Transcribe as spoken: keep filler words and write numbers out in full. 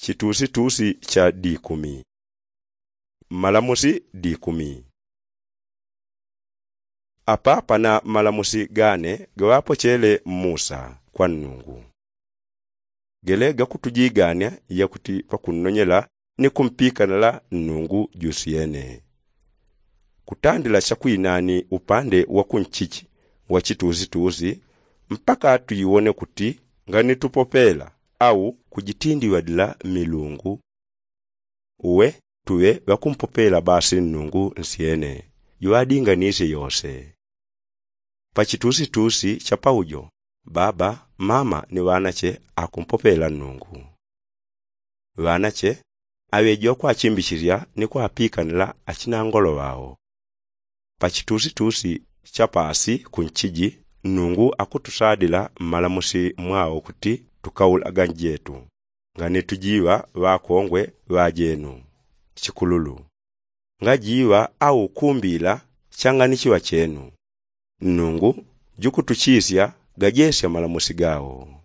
Chitusitusi cha dikumi. Mmalamusi dikumi. Apa pana mmalamusi gane gaŵapochele musa kwa nnungu, gele gakutujigania yakuti pakunnonyela ni kumpikanila nnungu jusyene. Kutandila chakwinani upande wa kunchichi wa chitusitusi mpaka tuiwone kuti nganitupopela au kujitindiŵadila milungu. Uwe tuŵe ŵakumpopela basi nnungu nsyene juŵadinganisye yose. Pachitusitusi chapaujo baba, mama ni ŵanache akumpopela nnungu. Ŵanache aŵeji ŵakwachimbichilya ni kwapikanila achinangolo ŵao. Pachitusitusi chapasi kunchiji nnungu akutusadila mmalamusi mwao kuti tukaulaga njetu nganitujiŵa ŵakongwe ŵajenu. Chikululu ngajiŵa au kumbila changanichiŵa chenu. Nnungu jukutuchisya gajesya malamusi gao.